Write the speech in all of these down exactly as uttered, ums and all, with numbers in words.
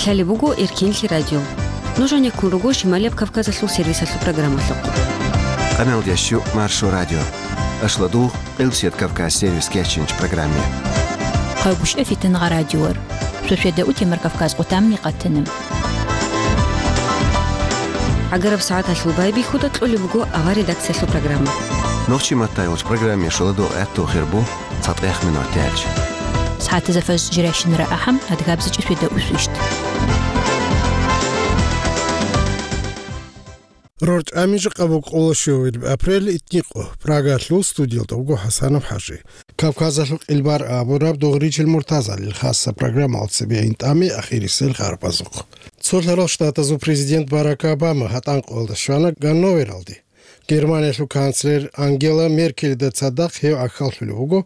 Лъалеб буго Эркинлъи радио. Нуж гьанеккун руго Шималияб Кавказалъул сервисалъул программалъухъ. Къамел ящу Маршо радио. Ашладугъ, Къилбсият Кавказ сервис кечинч программе. Хъавгушев Фитнагъа радиор. Шошеда утемар Кавказ къутамни къатанам. Агараб сагӀаталъул байбихьуда кьолеб буго авар редакциялъул программа. Нохчи маттай уч программе шоладо гӀатту хирбу. ЦатӀех минут тяч. СагӀатаза фаж жирайщинара ахӀам, адгабзичӀи шведа усвищт. РорчӀами жакъа буго къоло щуабилеб апрель, итникъо, Прагалъул студиялда вуго ХӀасанов ХӀажи. Кавказалъул къилбар абураб Дугъричил Муртазалил хасса программалда цебе гьин тӀаме ахирисел харбазухъ. Цолъарал Штатазул президент Барак Обама гьатӀан къоялда щвана Ганновералде. Германиялъул канцлер Ангела Меркелида цадахъ гьев гӀахьаллъулев вуго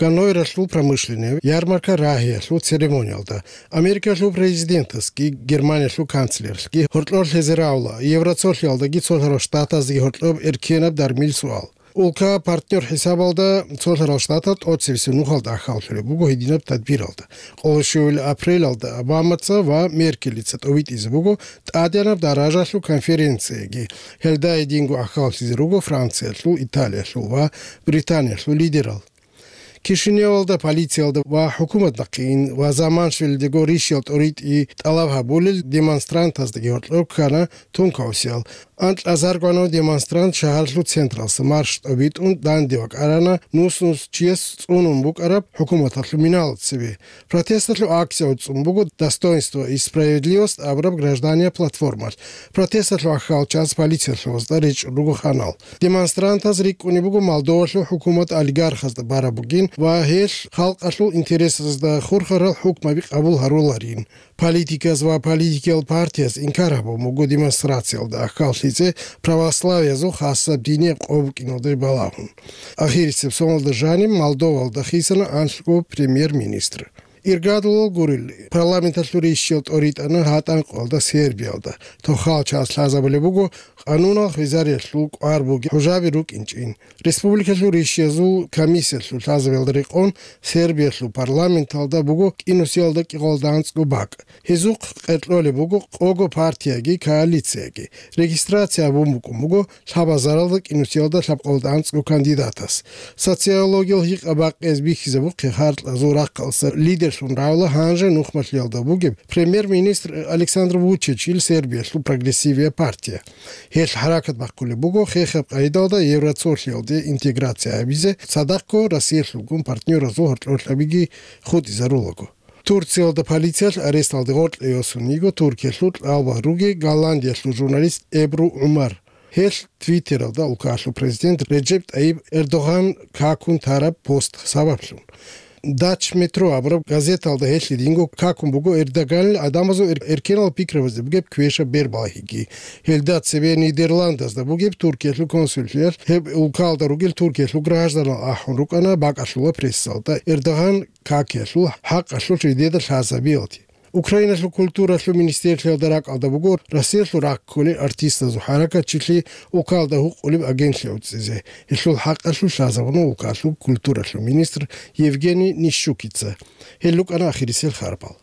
Ганновералъул промышленный ярмарка рагьиялъул церемониялда. Америкалъул президентасги Германиялъул канцлерлъги гьоркьор лъезе равла, Евроцолъиялдаги Цолъарал Штатаздаги гьоркьоб эркенаб дармил суал. Улка партнер хӀисабалда Цолъарал Штатал тӀоцебесеб нухалда гӀахьаллъулеб буго гьединаб тадбиралда. Къоло щуабилеб апрелалда Обамаца ва Меркелица тӀовитӀизе буго тӀадегӀанаб даражалъул конференцияги. Гьелда гьединго гӀахьаллъизе руго Франциялъул, Италиялъул ва Британиялъул лидерал. Кишиневалда полициялда ва хӀукумат нахъе ин ва заман щвелдего рищал тӀоритӀи тӀалаб гьабулел демонстрантаздаги гьоркьор ккана тункаусиял. Анкьазаргванав демонстрант шагьарлъул централса марш тӀобитӀун данде вакӀарана, нус-нус чияс цӀунун букӀараб хӀукуматалъул миналда цебе. Протесталъул акция гӀуцӀун буго «Достоинство и справедливость» абураб гражданиял платформалъ. Протесталъул гӀахьалчияс полициялъул гьозда речӀчӀун руго ханал. Демонстрантаз рикӀкӀунеб буго Молдовалъул хӀукумат олигархазда бараб бугин ва гьелъ халкъалъул интересазда хурхарал хӀукмаби къабул гьаруларин. Политиказ ва политикиял партияз инкар гьабун буго демонстрациялда гӀахьаллъизе православиязул хасаб динияб къо букӀиналде балагьун. Ахирисеб соналда жаниб Молдовалда хисана анлъго премьер-министр. Иргадулал гурел, парламенталъул рищал тӀоритӀана гьатӀан къоялда Сербиялда. Тохал час лъазабулеб буго къанунал хвезариялъул кӀвар бугеб хӀужаби рукӀинчӀин. Республикалъул рищазул комиссиялъул лъазабиялда рекъон Сербиялъул парламенталда буго кӀинусиялда кӀикъоялда анцӀго бакӀ. Гьезухъ къеркьолеб буго къого партияги коалицияги. Регистрация гьабун букӀун буго лъабазаралда кӀинусиялда лъабкъоялда анцӀго кандидатас. Социологиял гьикъа бакъиз бихьизабухъе гьаркьазул рахъалса лидерлъун равла гьанже нухмалъиялда бугеб премьер-министр Александр Вучичил Сербиялъул прогрессивия партия. Гьелъ хӀаракат бахъулеб буго хехаб къайдалда Евроцолъиялде интеграция гьабизе, цадахъго Россиялъулгун партнеразул гьоркьорлъабиги хутӀизарулаго. Турциялда полициялъ аресталде гъоркье йосун йиго Туркиялъул кьалбал руги Голландиялъул журналист Эбру ГӀумар. Гьелъ Твиттералда улкалъул президент Реджеп ТӀайиб Эрдоган какун тараб пост сабаблъун. Дач Метро абураб газеталда гьелъ гьединго какун буго Эрдоганил гӀадамазул эр-, эркенал пикрабазде бугеб квешаб бербалагьиги. Гьелда цебе Нидерландазда бугеб Туркиялъул консуллъиялъ гьеб улкалда ругел Туркиялъул гражданал ахӀун рукӀана бакӀалъула прессалда Эрдоган какиялъул хӀакъалъулъ жидеда лъазабиялде. Украиналъул культуралъул министрлъиялда ракӀалда буго Россиялъул раккулел артистазул хӀаракатчилъи улкалда гьукъулеб агентлъи гӀуцӀизе. Гьелъул хӀакъалъулъ лъазабуна улкалъул культуралъул министр Евгений Нищукица. Гьел рукӀана ахирисел харбал.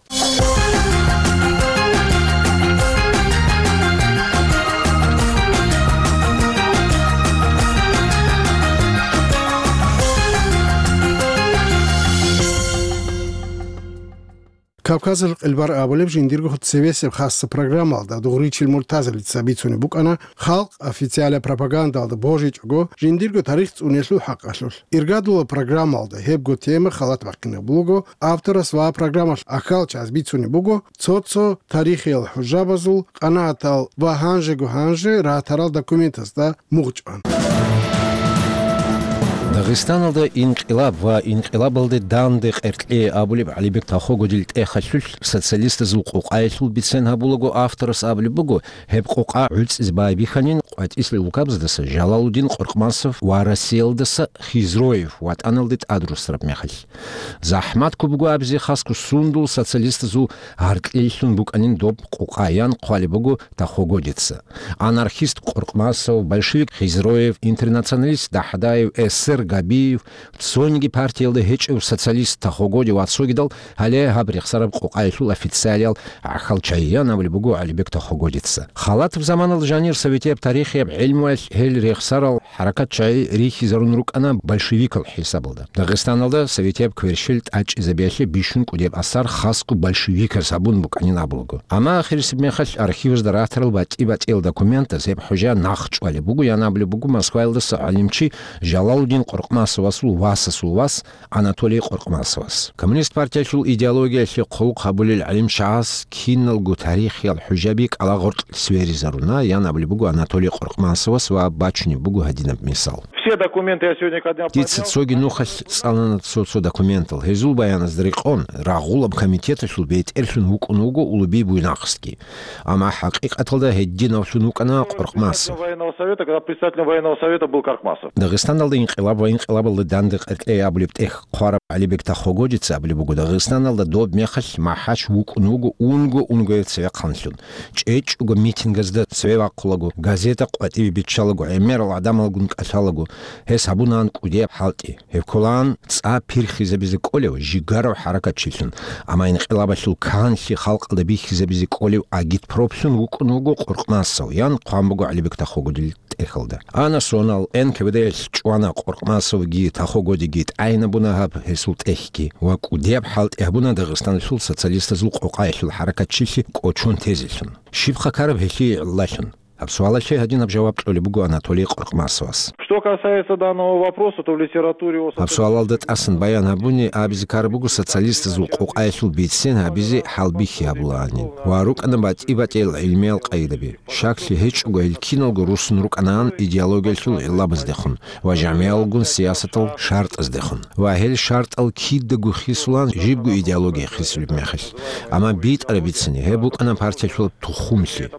Кавказалъул къилбар абулеб жиндирго цевесеб хасса программалда Дугъричил Муртазалица бицунеб букӀана халкъ официалаб пропагандалда божичӀого жиндирго тарих цӀуниялъул хӀакъалъулъ. Иргадула программалда гьебго тема халат бахъинаб буго авторас ва программалъ ахьалчаз бицунеб буго цо-цо тарихиял хӀужабазул къанагӀатал ва гьанжего-гьанже ратарал документазда мугъчӀван. Дагъистаналда инкъилаб ва инкъилабалде данде къеркье абулеб ГӀалибек Тахогудил тӀехалъулъ социалистазул къокъаялъул бицен гьабулаго авторас абулеб буго, гьеб къокъа гӀуцӀизе байбихьанин къватӀислъи улкабаздаса Жалалудин Къоркъмасов ва Россиялдаса Хизроев ватӀаналде тӀадрусараб мехалъ. ЗахӀмат ккун буго абизе хасго сундул социалистазул гьаркьлъилъун букӀанин доб къокъа, ян хъвалеб буго Тахогудица. Анархист Къоркъмасов, большевик Хизроев, интернационалист Дахдаев, эсер Абиев, цониги партиялда гьечӀев социалист Тахогоди ва цогидал, гьале гьаб рехсараб къокъаялъул официалиял гӀахьал чагӀи, ян абулеб буго ГӀалибек Тахогодица. Халатов заманалда жанир советияб тарихияб гӀелмуялъ гьел рехсарал хӀаракат чагӀи рихьизарун рукӀана большевикал хӀисабалда. Дагъистаналда советияб кверщел тӀачӀизабиялъе бищун кӀудияб асар хасго большевиказ гьабун букӀанин абулаго. Амма ахирисеб мехалъ архивазда ратарал батӀи-батӀиял документаз гьеб хӀужа нахъ чӀвалеб буго, ян абулеб буго Москваялдаса гӀалимчи Жалалудин Къуркъмасовасул васасул вас Анатолий Къуркъмасовас. Коммунист партиялъул идеологиялъе хъулухъ гьабулел гӀалимчагӀаз киналго тарихиял хӀужаби кӀалагъоркь сверизаруна, ян абулеб буго Анатолий Къуркъмасовас ва бачунеб буго гьадинаб мисал. Все документы я сегодня ко дня Дица поднял. Цоги нухалъ цӀалана цо-цо документал. Гьезул баяназда рекъон, рагъулаб комитеталъул бетӀерлъун вукӀун вуго Улуби Буйнакскги. Амма хӀакъикъаталда гьединавлъун вукӀана Къуркъмасов. Военного совета, когда председателем военного совета был Каркмасов. Дагъистаналда инкъилаб ва инкъилабалда данде къеркьей абулеб тӀехь хъвараб ГӀалибек Тахогодица абулеб буго, Дагъистаналда доб мехалъ МахӀач вукӀун вуго унго-унгояв цевехъанлъун. ЧӀечӀого митингазда цеве вахъулаго, газета къватӀибе биччалаго, гӀемерал гӀадамалгун кӀалъалаго, гьес гьабунаан кӀудияб хӀалтӀи. Гьеб кколаан цӀа пирхизабизе кӀолев жигарав хӀаракатчилъун, амма инкъилабалъул канлъи халкъалда бихьизабизе кӀолев агитпроплъун вукӀун вуго Къуркъмасов, ян хъван буго ГӀалибек Тахогодил тӀехьалда. Ана сонал, НКВД-ялъ чӀвана Къуркъмасовги Тахогодиги, тӀагӀинабуна гьаб гьесул тӀехьги ва кӀудияб хӀалтӀи гьабуна Дагъистаналъул социалистазул къокъаялъул хӀаракатчилъи кӀочон тезелъун. Щиб хъакараб гьелъие гӀиллалъун? Гьаб суалалъе гьадинаб жаваб кьолеб буго Анатолий Къуркъмасовас. Что касается данного вопроса, то в литературе о Гьаб суалалда тӀасан баян гьабуни абизе ккараб буго социалистазул къокъаялъул бицен гьабизе хӀалбихьи гьабулаанин ва рукӀана батӀи-батӀиял гӀилмиял къайдаби. Щаклъи гьечӀого гьел киналго руссун рукӀанаан идеологиялъул гӀиллабаздехун ва жамигӀалгун сиясатал шартӀаздехун. Ва гьел шартӀал кидаго хисулаан жибго идеология хисулеб мехалъ. Амма битӀараб бицани гьеб букӀана партиялъул тухумлъи.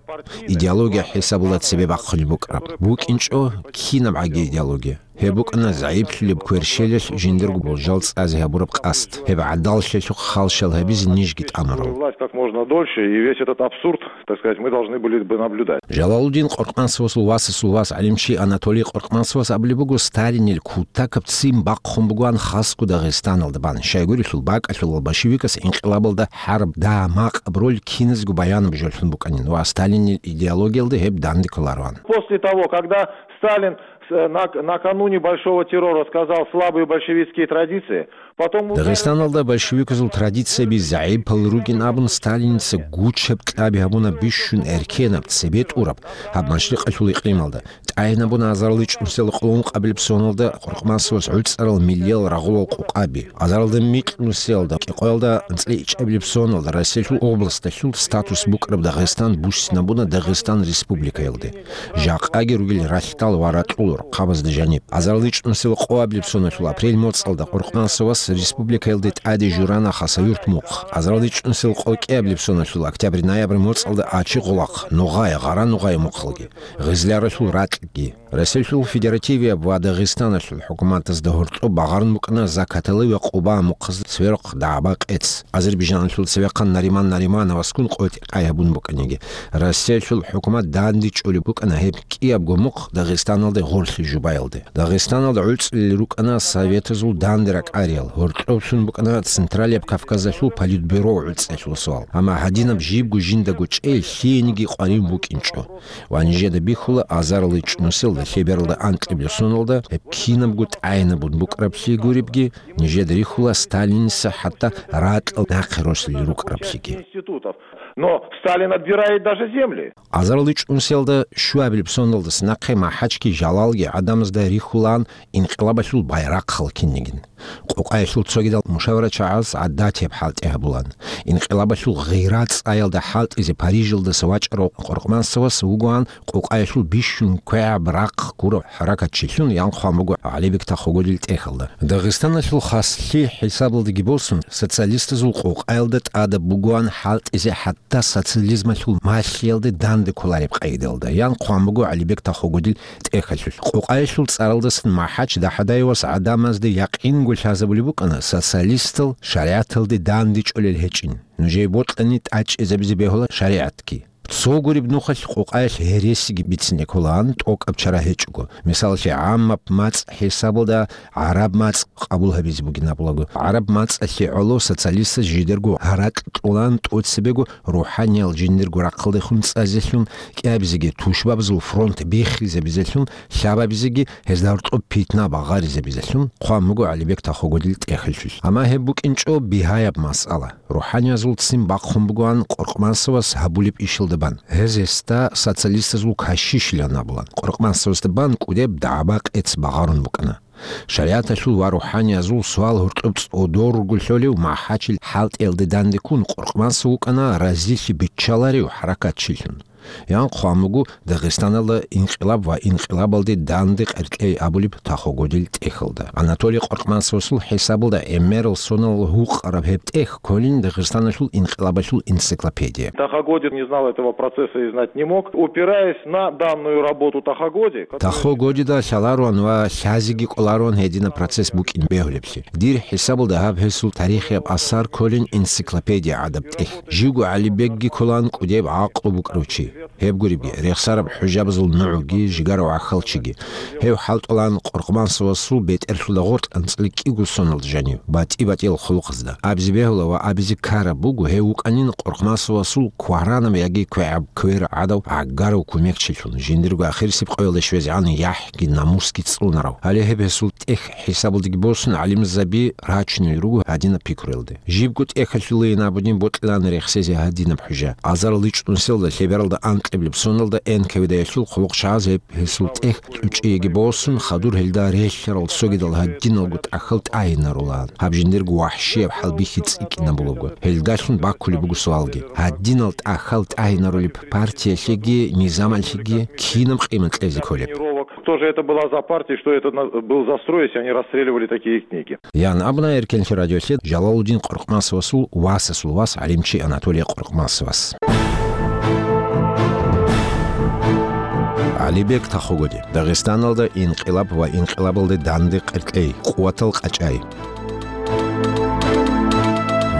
Идеология хӀисабула цебе бахъулеб букӀараб. БукӀинчӀо кинабгӀаги идеология. Гьеб букӀана загӀиплъулеб кверщелалъ жиндирго болжал цӀазе гьабураб къасд. Гьеб гӀадаллъиялъухъ халщал гьабизе нижги тӀамурал. Власть как можно дольше, и весь этот абсурд, так сказать, мы должны были бы наблюдать. Жалалудин Къуркъмасовасул васасул вас гӀалимчи Анатолий Къуркъмасовас абулеб буго, Сталинил кутакаб ццин бахъун бугоан хасго Дагъистаналда бан. Щайгурелъул бакӀалъулал большевикас инкъилабалда хӀарб дагьа-макъаб роль киназго баянаб жолъун букӀанин ва Сталинил идеологиялда гьеб данде кколароан. После того, когда Сталин с-, нак-, накануне Большого террора сказал «слабые большевистские традиции», потом ударил Дагъистаналда большевиказул традицияби загӀипал ругин абун, Сталинца гучаб кьаби гьабуна бищун эркенаб, цебетӀураб гьаб машрикъалъул икълималда. ТӀагӀинабуна азарилчӀунсел къоло ункъабилеб соналда Къуркъмасовас гӀуцӀарал миллиял рагъулал къокъаби. Азарилда микьнусиялда кӀикъоялда анцӀила ичӀабилеб соналда Россиялъул областалъул статус букӀараб Дагъистан буссинабуна Дагъистан Республикаялде. Жакъаги ругел ралъдал ва ракьул рахъабазда жаниб. АзарилчӀунсел къоабилеб соналъул апрель моцӀалда Къуркъмасовас республикаялде тӀаде журана Хасавюрт мухъ. АзарилчӀунсел къокӀиабилеб соналъул октябрь-ноябрь моцӀалда Ачи-Гъулахъ, Нугъай, Гъара-Нугъай мухълги, Гъизляралъул ракьги. Россиялъул Федеративияб ва Дагъистаналъул хӀукуматазда гьоркьоб багъарун букӀана Закатали ва Къуба мухъазда цверухъ дагӀба-къец. Азербайжаналъул цевехъан Нариман Наримановасгун къотӀи-къай гьабун букӀаниги, Россиялъул хӀукумат дандечӀолеб букӀана гьеб кӀиябго мухъ Дагъистаналде гъорлъе жубаялде. Дагъистаналда гӀуцӀулел рукӀана советазул данде ракӀариял, гьоркьоблъун букӀана Централияб Кавказалъул политбюро гӀуцӀиялъул суал. Амма гьадинаб жибго жиндаго чӀей лъиениги къварин букӀинчӀо. Ва нижеда бихьула, азарилчӀунсел лъебералда анкьабилеб соналда гьеб кинабго тӀагӀинабун букӀараблъи гуребги, нижеда рихьула Сталинца хӀатта ракьал нахъе росулел рукӀараблъиги. Институтов. Но Сталин отбирает даже земли. АзарилчӀунсиялда щуабилеб соналдаса нахъе МахӀачги Жалалги гӀадамазда рихьулаан инкъилабалъул байрахъал кинигин. Къокъаялъул цогидал мушаварачагӀаз гӀадатияб хӀалтӀи гьабулаан. Инкъилабалъул гъира цӀаялда хӀалтӀизе Парижалдаса вачӀарав Къуркъмасовас вугоан къокъаялъул бищун квегӀаб рахъ гурав хӀаракатчилъун, ян хъван буго ГӀалибек Тахогодил тӀехьалда. Дагъистаналъул хаслъи хӀисабалдаги босун, социалистазул къокъаялда тӀадаб бугоан хӀалтӀизе хӀатта социализмалъул малъиялде данде кколареб къайдалда, ян хъван буго ГӀалибек Тахогодил тӀехьалъулъ. Къокъаялъул цӀаралдасан МахӀач ДахӀадаевас гӀадамазда якъинго лъазабулеб букӀана социалистал шаригӀаталде дандечӀолел гьечӀин. Нужее бокьани тӀачӀизабизе бегьула шаригӀатги. Цо гуреб нухалъ къокъаялъ гьересиги бицине кколаан, тӀокӀаб чара гьечӀого. Мисалалъе, гӀаммаб мацӀ хӀисабалда гӀараб мацӀ къабул гьабизе бугин абулаго. ГӀараб мацӀалъе гӀоло социалистаз жидерго гьаракь кьолаан, тӀоцебего рухӀаниял жиндирго рахъалдехун цӀазелъун, кӀиабизеги тушбабазул фронт биххизабизелъун, лъабабизеги гьезда гьоркьоб питна багъаризабизелъун хъван буго ГӀалибек Тахогодил тӀехьалъулъ. Амма гьеб букӀинчӀо бигьаяб масъала. РухӀаниязул ццин бахъун бугоан Къоркъмасовас гьабулеб ишалда бан. Гьез гьесда социалистазул кашишилан абулан. Къоркъмасовасда бан кӀудеб дагӀба-къец багъарун букӀана. ШаригӀаталъул ва рухӀаниязул суал гьоркьоб цӀодор руго лъолев МахӀачил хӀалтӀиялде данде ккун, Къоркъмасов вукӀана разилъи биччаларев хӀаракатчилъун. Ян хъван буго Дагъистаналда инкъилаб ва инкъилабалде данде къеркьей абулеб Тахогодил тӀехьалда. Анатолий Къоркъмасовасул хӀисабалда гӀемерал соналъ гьукъараб гьеб тӀехь кколин Дагъистаналъул инкъилабалъул энциклопедия. Тахо Годин не знал этого процесса и знать не мог. Упираясь на данную работу Тахо Годи, которая... Тахо Годида лъаларуан ва лъазеги кӀоларуан гьединаб процесс букӀин бегьулеблъи. Дир хӀисабалда гьаб гьесул тарихияб асар кколин энциклопедия гӀадаб тӀехь. Живго ГӀалибекги кколаан кӀудеб гӀакълу букӀарав чи. Гьеб гуребги, рехсараб хӀужабазул нугӀги, жигарав гӀахьалчиги. Гьев хӀалтӀулаан Къоркъмасовасул бетӀерлъуда гъоркь анцӀила кӀиго соналда жанив, батӀи-батӀиял хъулухъазда. Абизе бегьула ва абизе ккараб буго, гьев вукӀанин Къоркъмасовасул кваранаб яги квегӀаб квер гӀадав гӀагарав кумекчилъун, жиндирго ахирисеб къоялда щвезегӀан яхӀги намусги цӀунарав. Гьале гьеб гьесул тӀехь хӀисабалдеги босун, гӀалимзаби рачунел руго гьадинаб пикруялде. Жибго тӀехьалъулейин абунин бокьилаан рехсезе гьадинаб хӀужа. Азарал ичӀнусиялда лъебералда анкьиблеб соналда Н К В Д-ялъул хъулухъчагӀаз гьеб гьесул тӀехь кьучӀиеги босун, хадур гьелда релълъарал цогидал гьадиналго тӀахьал тӀагьинарулаан. Гьаб жиндирго вахӀщияб хӀалбихьи цӀикӀкӀинабулаго. Гьелдалъун баккулеб буго суалги: гьадинал тӀахьал тӀагьинарулеб партиялъеги низамалъеги кинаб къимат кьезе кколеб? Кто же это была за партия, что это на-, был за строй, если они расстреливали такие книги? Ян абуна Эркенлъи радиолъе Жалалудин Къоркъмасовасул васасул вас гӀалимчи Анатолий Къоркъмасовас. ГӀалибек Тахогоди. Дагъистаналда инкъилаб ва инкъилабалде данде къеркьей, къуватал къачӀай.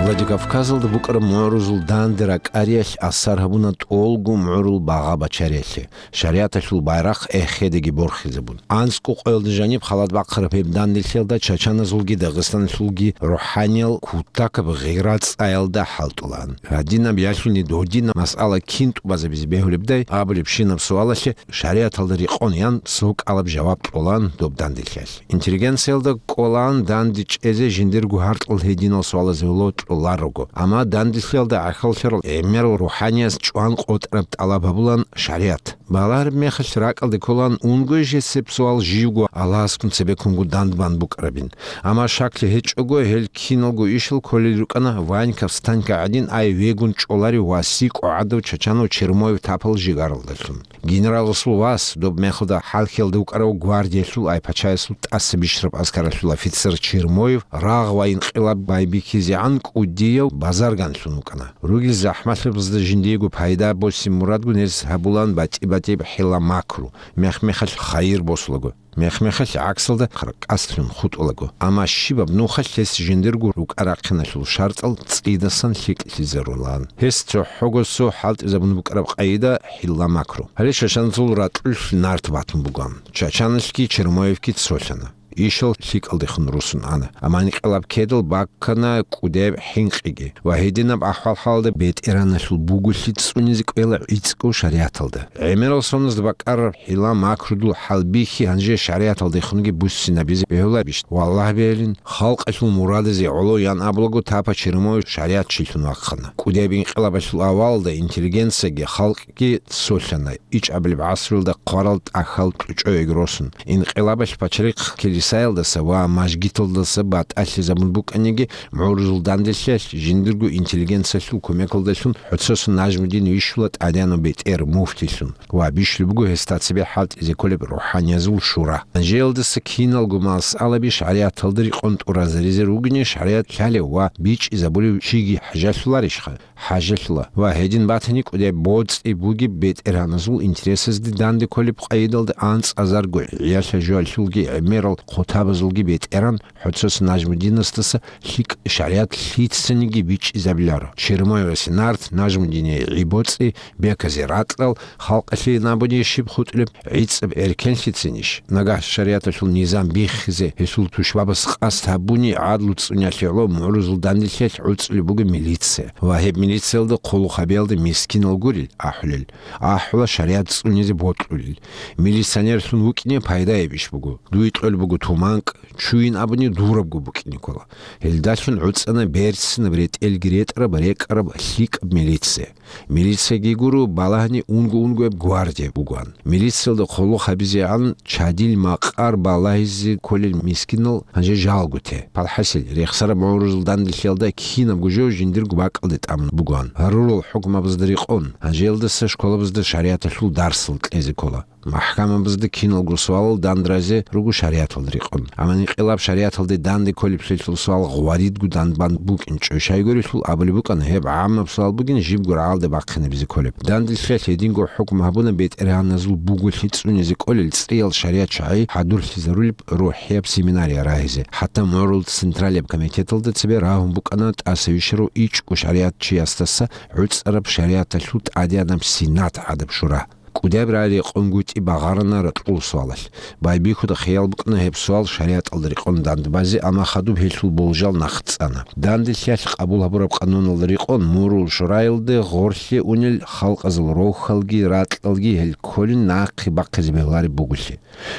Владикавказалда букӀараб мугӀрузул данде ракӀариялъ асар гьабуна тӀолго мугӀрул багъа бачариялъе. ШаригӀаталъул байрахъ эхедеги борхизабун. АнцӀго къоялда жаниб халат бахъараб гьеб данделъиялда чачаназулги дагъистанлъулги рухӀаниял кутакаб гъира цӀаялда хӀалтӀулаан. Гьадинаб ялъуни додинаб масъала кин тӀубазабизе бегьулебдай абулебщинаб суалалъе шаригӀаталда рекъон ян цо кӀалаб жаваб кьолаан доб данделъиялъ. Интеллигенциялда кӀолаан данде чӀезе жиндирго гьаркьал гьединал суалазе гьоло кьоларого. Амма данделъиялда гӀахьаллъарал гӀемерал рухӀанияз чӀван къотӀараб тӀалаб гьабулаан шаригӀат. Балагьараб мехалъ ракӀалде кколаан унгоей жесеб суал живго Аллагьасгун цебеккунго дандбан букӀарабин. Амма шаклъи гьечӀого, гьел киналго ишал кколел рукӀана Ваньков Станька гӀадин ай вегун чӀоларев ва сикӀо гӀадав чачанав Чермоев тапал жигаралдалъун. Генераласул вас, доб мехалда хӀалхьиялда вукӀарав гвардиялъул ай пачаясул тӀаса бищараб аскаралъул офицер Чермоев рагъ ва инкъилаб байбихьизегӀан кӀудияв базарганлъун вукӀана. Ругел захӀмалъабазда жиндиего пайда босин мурадгун гьез гьабулаан батӀи-батӀияб хӀила-макру, мех-мехалъ хайир босулаго, мех-мехалъ гӀаксалда хъаркъаслъун хутӀулаго. Амма щибаб нухалъ гьес жиндирго рукӀа-рахъиналъул шартӀал цӀидасан лъикӀлъизарулаан. Гьес цохӀого цо хӀалтӀизабун букӀараб къайда хӀила-макру. Гьале чачаназул ракьулъ нарт батун бугоан. Чачаналъги Чермоевги цолъана. Ишал лъикӀалдехун русун ана. Амма инкъилаб ккедал баккана кӀудеб хӀинкъиги. Ва гьединаб ахӀвал-хӀалалда бетӀераналъул буголъи цӀунизе кӀвела гӀицӀго шаригӀаталда. ГӀемерал соназда бакӀараб хӀила-макрудул хӀалбихьи гьанже шаригӀаталдехунги буссинабизе бегьуларищ? Валлагь бегьилин, халкъалъул мурадазе гӀоло ян абулаго тапа Чермоев шаригӀатчилъун вахъана. КӀудеб инкъилабалъул авалалда интеллигенцияги халкъги цолъана. ИчӀабилеб гӀасруялда хъварал тӀахьал кьучӀоеги росун, инкъилабалъ пачарихъ килисаялдаса ва мажгиталдаса батӀалъизабун букӀаниги, мугӀрузул данделъиялъ жиндирго интеллигенциялъул кумекалдалъун ХӀуцесун Нажмудин вищула тӀадегӀанав бетӀер муфтилъун ва бищулеб буго гьесда цебе хӀалтӀизе кколеб рухӀаниязул шура. Гьанжеялдаса киналго масъалаби шаригӀаталда рекъон тӀуразаризе ругони, шаригӀат лъалев ва бичӀчӀизабулев чиги хӀажалъуларищха? ХӀажалъула. Ва гьедин батани кӀудеб боцӀи бугеб бетӀергьаназул интересазде данде кколеб къайдалда анцӀазарго гӀиялъа-жоялъулги гӀемерал хутабазулги бетӀеран, ХӀоцос Нажмудинасдаса лъикӀ шаригӀат лъицаниги бичӀчӀизабиларо. Чермоевасе нарт, Нажмудине гӀи-боцӀи, беказе ракьал, халкъалъе набуни щиб хутӀулеб, гӀицӀаб эркенлъицинищ? Нагагь шаригӀаталъул низам биххизе гьелъул тушбабаз къасд гьабуни, гӀадлу цӀуниялъе гӀоло мугӀрузул данделъиялъ гӀуцӀулеб буго милиция. Ва гьеб милициялда хъулухъ гьабиялда мискинал гурел ахӀулел, ахӀула шаригӀат цӀунизе бокьулел. Милиционерлъун вукӀине пайдаяб иш буго. Дуе кьолеб буго туманкӀ, чуйин абуни дурабго букӀине ккола. Гьелдалъун гӀуцӀана берцинаб, ретӀелги ретӀараб, рекӀараб, лъикӀаб милиция. Милицияги гуро балагьани унго-унгояб гвардия бугоан. Милициялда хъулухъ гьабизегӀан чадил макъар балагьизе кколел мискинал гьанже жалго те. Палхасил, рехсараб мугӀрузул данделъиялда кинабго жо жиндирго бакӀалде тӀамун бугоан. Гьарурал хӀукмабазда рекъон, гьанжеялдаса школабазда шаригӀаталъул дарсал кьезе ккола. МахӀкамабазда киналго суалал дандразе руго шаригӀаталда рекъон. Амма инкъилаб шаригӀаталде данде кколеблъиялъул суал гъваридго данбан букӀинчӀо. Щайгурелъул абулеб букӀана, гьеб гӀаммаб суал бугин, жибго рагӀалде бахъинабизе кколеб. Данделъиялъ гьединго хӀукму гьабуна бетӀергьаназул буголъи цӀунизе кӀолел цӀиял шаригӀат чагӀи хӀадурлъизарулеб рухӀияб семинария рагьизе. ХӀатта мугӀрул Централияб комитеталда цебе рагьун букӀана тӀаса вищарав ичӀго шаригӀатчиясдаса гӀуцӀараб шаригӀаталъул тӀадегӀанаб Сенат гӀадаб шура. КӀудияб рагӀи рекъонгутӀи багъарана ракьул суалалъ. Байбихьуда хиял букӀана гьеб суал шаригӀаталда рекъон дандбазе, амма хадуб гьелъул болжал нахъ цӀана. Данделъиялъ къабул гьабураб къануналда рекъон мугӀрул шураялде гъорлъе унел халкъазул рохьалги ракьалги гьел кколин нахъе бахъизе бегьулареб буголъи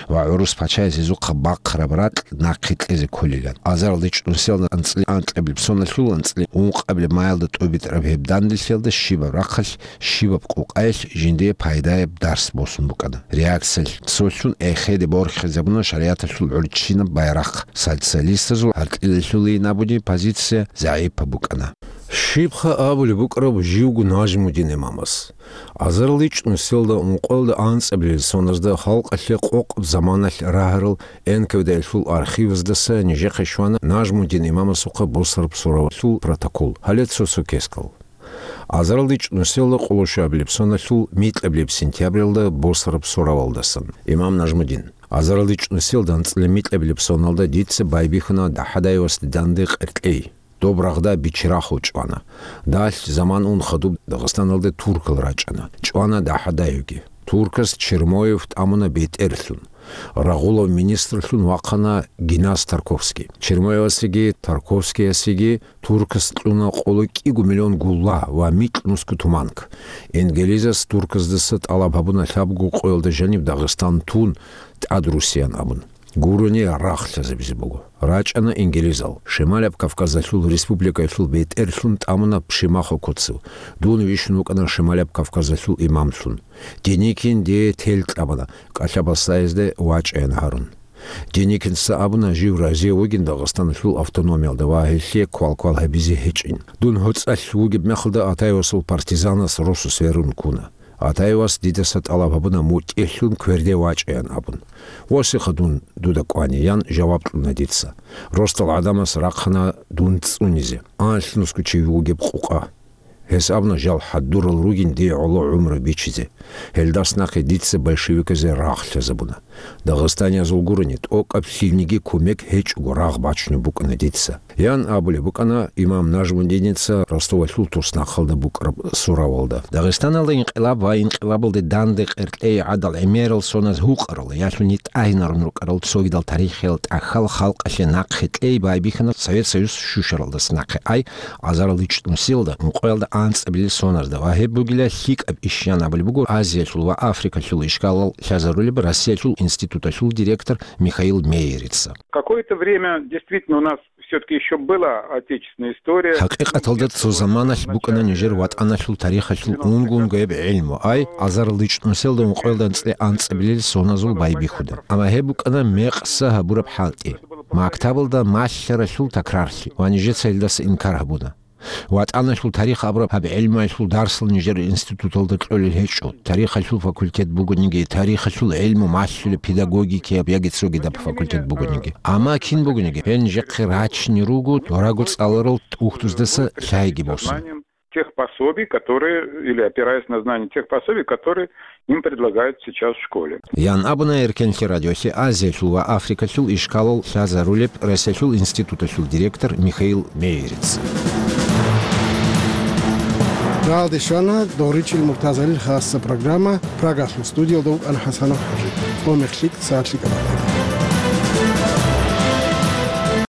ва гӀурус пачаяс гьезухъа бахъараб ракь нахъе кьезе кколилан. Азаралда ичӀнусиялда анцӀила анкьабилеб соналъул анцӀила ункъабилеб маялда тӀубитӀараб гьеб данделъиялда щибаб рахъалъ, щибаб къукъаялъ жиндие пайдаяб дарс босун букӀана. Реакциялъ цолъун эхеде борхизабуна шаригӀаталъул гӀурччинаб байрахъ. Социалистазул гьаркьилалъулейин абуни позиция загӀипаб букӀана. Щибха абулеб букӀараб живго Нажмудин имамас? Азарал ичӀнусиялда ункъоялда анцӀабилел соназда халкъалъе къокъаб заманалъ рагьарал Н К В Д-ялъул архиваздаса нижехъе щвана Нажмудин имамасухъа босараб суравалъул протокол. Гьале цо-цо кескал. Азарал ичӀнусиялда къоло щуабилеб соналъул микьабилеб сентябралда босараб суравалдасан. Имам Нажмудин. Азарал ичӀнусиялда анцӀила микьабилеб соналда дица байбихьана ДахӀадаевасде данде къеркьей. Доб рагъда Бичи-Рахъу чӀвана. Далъ заман ун хадуб Дагъистаналде туркал рачӀана. ЧӀвана ДахӀадаевги. Туркас Чермоев тӀамуна бетӀерлъун. Рагъулав министрлъун вахъана Генас Тарковский. Чермоевасеги Тарковскиясеги туркас кьуна къоло кӀиго миллион гулла ва микьнусго туманк. Ингилизас турказдаса тӀалаб гьабуна лъабго къоялда жаниб Дагъистан тун, тӀадрусиян абун. Гурони рагъ лъазабизе буго. РачӀана ингилизал. Шималаб Кавказалъул республикаялъул бетӀерлъун тӀамуна Пшемахо Коцев. Дун вищун вукӀана Шималаб Кавказалъул имамлъун. Деникин дие тел кьабана, кӀалъа-баслаязде вачӀаян гьарун. Деникинца абуна, жив разие вугин Дагъистаналъул автономиялда ва гьелъие квал-квал гьабизе гьечӀин. Дун гьоцӀалъ вугеб мехалда Атаевасул партизанас росу сверун ккуна. Атаевас дидаса тӀалаб гьабуна мутӀигӀлъун кверде вачӀаян абун. «Восиха дун дуда кӀвани», — ян жаваб кьуна дица. Росдал гӀадамас рахъана дун цӀунизе. Анлънусго чи вугеб къукъа. Гьес абуна жал хӀадурал ругин дие гӀоло гӀумру бичизе. Гьелдас нахъе дица большевиказе рагъ лъазабуна. Дагъистаниязул гурони, тӀокӀаб лъилниги кумек гьечӀого рагъ бачунеб букӀана дица. Ян абулеб букӀана имам Нажмудиница Ростовалъул туснахъалда букӀараб суравалда. Дагъистаналда инкъилаб ва инкъилабалде данде къеркьей гӀадал гӀемерал соназ гьукъарал, ялъуни тӀагьинарун рукӀарал цогидал тарихиял тӀахьал халкъалъе нахъе кьей байбихьана Совет Союз щущаралдаса нахъе ай, азарал ичӀнусиялда, ункъоялда анцӀабилел соназда ва гьеб бугила лъикӀаб иш, ян абулеб буго Азиялъул ва Африкалъул ишкалал лъазарулеб Россиялъул институталъул директор Михаил Мейерица. Какое-то время действительно у нас все-таки еще была отечественная история. ХӀакъикъаталда цо заманалъ букӀана нижер ватӀаналъул тарихалъул унго-унгояб гӀелму, ай, азарал ичӀнусиялда ункъоялда анцӀила анцӀабилел соназул байбихьуда. Амма гьеб букӀана мекъса гьабураб хӀалтӀи, мактабалда малъаралъул такрарлъи, ва нижеца гьелдаса инкар гьабуна. ВатӀаналъул тарих абураб гьаб гӀелмуялъул дарсал нижер институталда кьолел гьечӀо, тарихалъул факультет бугониги, тарихалъул гӀелму малъулеб педагогикияб яги цогидаб факультет бугониги. Амма кин бугониги, гьел нижехъе рачине руго дораго цӀаларал тӀухьдуздаса лъайги босун. тех пособий, которые, или опираясь на знания тех пособий, которые им предлагают сейчас в школе. Ян абуна Эркенлъи радиолъе Азиялъул ва Африкалъул ишкалал лъазарулеб Россиялъул институталъул директор Михаил Мейерец. Галде щвана Догъричил Муртазалил хасса программа. Прагалъул студиялда вукӀана ХӀасанов ХӀажи. Цо мехлъи сагӀатлъи кӀабала.